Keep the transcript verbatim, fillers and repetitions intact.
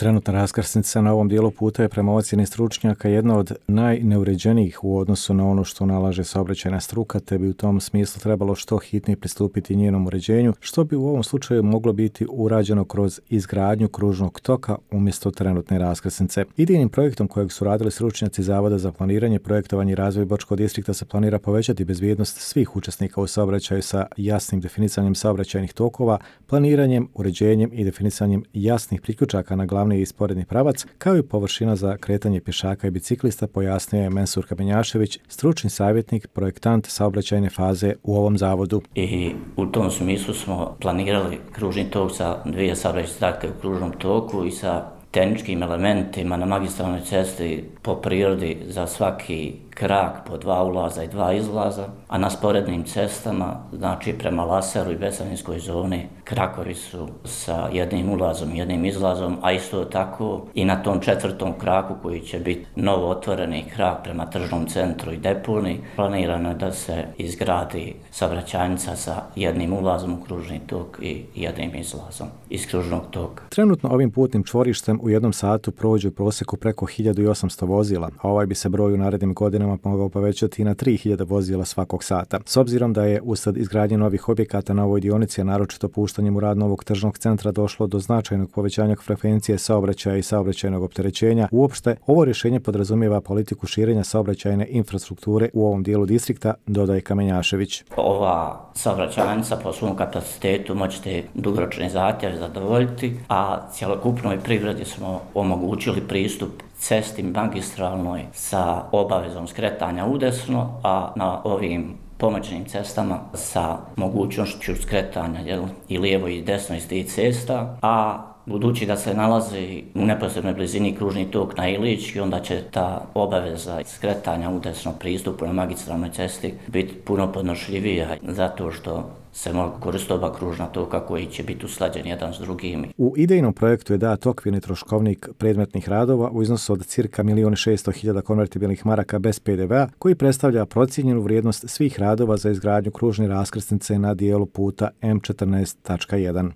Trenutna raskrsnica na ovom dijelu puta je prema ocjeni stručnjaka jedna od najneuređenijih u odnosu na ono što nalaže saobraćajna struka, te bi u tom smislu trebalo što hitnije pristupiti njenom uređenju, što bi u ovom slučaju moglo biti urađeno kroz izgradnju kružnog toka umjesto trenutne raskrsnice. Idejnim projektom kojeg su radili stručnjaci Zavoda za planiranje, projektovanje i razvoj Bočkog distrikta se planira povećati bezbjednost svih učesnika u saobraćaju sa jasnim definisanjem saobraćajnih tokova, planiranjem, uređenjem i definisanjem jasnih priključaka na glavni i sporedni pravac, kao i površina za kretanje pješaka i biciklista, pojasnio je Mensur Kamenjašević, stručni savjetnik, projektant saobraćajne faze u ovom zavodu. I u tom smislu smo planirali kružni tok sa dvije saobraćajne trake u kružnom toku i sa tehničkim elementima na magistralnoj cesti po prirodi za svaki krak po dva ulaza i dva izlaza, a na sporednim cestama, znači prema Laseru i Besaninskoj zoni, krakovi su sa jednim ulazom i jednim izlazom, a isto tako i na tom četvrtom kraku koji će biti novo otvoreni krak prema tržnom centru i deponi, planirano je da se izgradi saobraćajnica sa jednim ulazom u kružni tok i jednim izlazom iz kružnog toka. Trenutno ovim putnim čvorištem u jednom satu prođe u prosjeku preko hiljadu osamsto vozila, a ovaj bi se broj u narednim godinama mogao povećati na tri hiljade vozila svakog sata. S obzirom da je usred izgradnje novih objekata na ovoj dionici, a naročito puštanjem u rad novog tržnog centra, došlo do značajnog povećanja frekvencije saobraćaja i saobraćajnog opterećenja, uopšte ovo rješenje podrazumijeva politiku širenja saobraćajne infrastrukture u ovom dijelu distrikta, dodaje Kamenjašević. Ova saobraćajnica po svom kapacitetu moćete dugoročni zahtjev zadovoljiti, a cjelokupnoj privredi smo omogućili pristup cesti magistralnoj sa obavezom skretanja udesno, a na ovim pomoćnim cestama sa mogućnošću skretanja jel, i lijevo i desno iz tih cesta, a budući da se nalazi u neposrednoj blizini kružni tok na Ilički, onda će ta obaveza skretanja udesno pristupu na magistralnoj cesti biti puno podnošljivija, zato što se mogu koristiti oba kružna toka koji će biti usklađeni jedan s drugim. U idejnom projektu je dat okvirni troškovnik predmetnih radova u iznosu od cirka milijun šesto hiljada konvertibilnih maraka bez pe de vea, koji predstavlja procijenjenu vrijednost svih radova za izgradnju kružne raskrsnice na dijelu puta em četrnaest tačka jedan.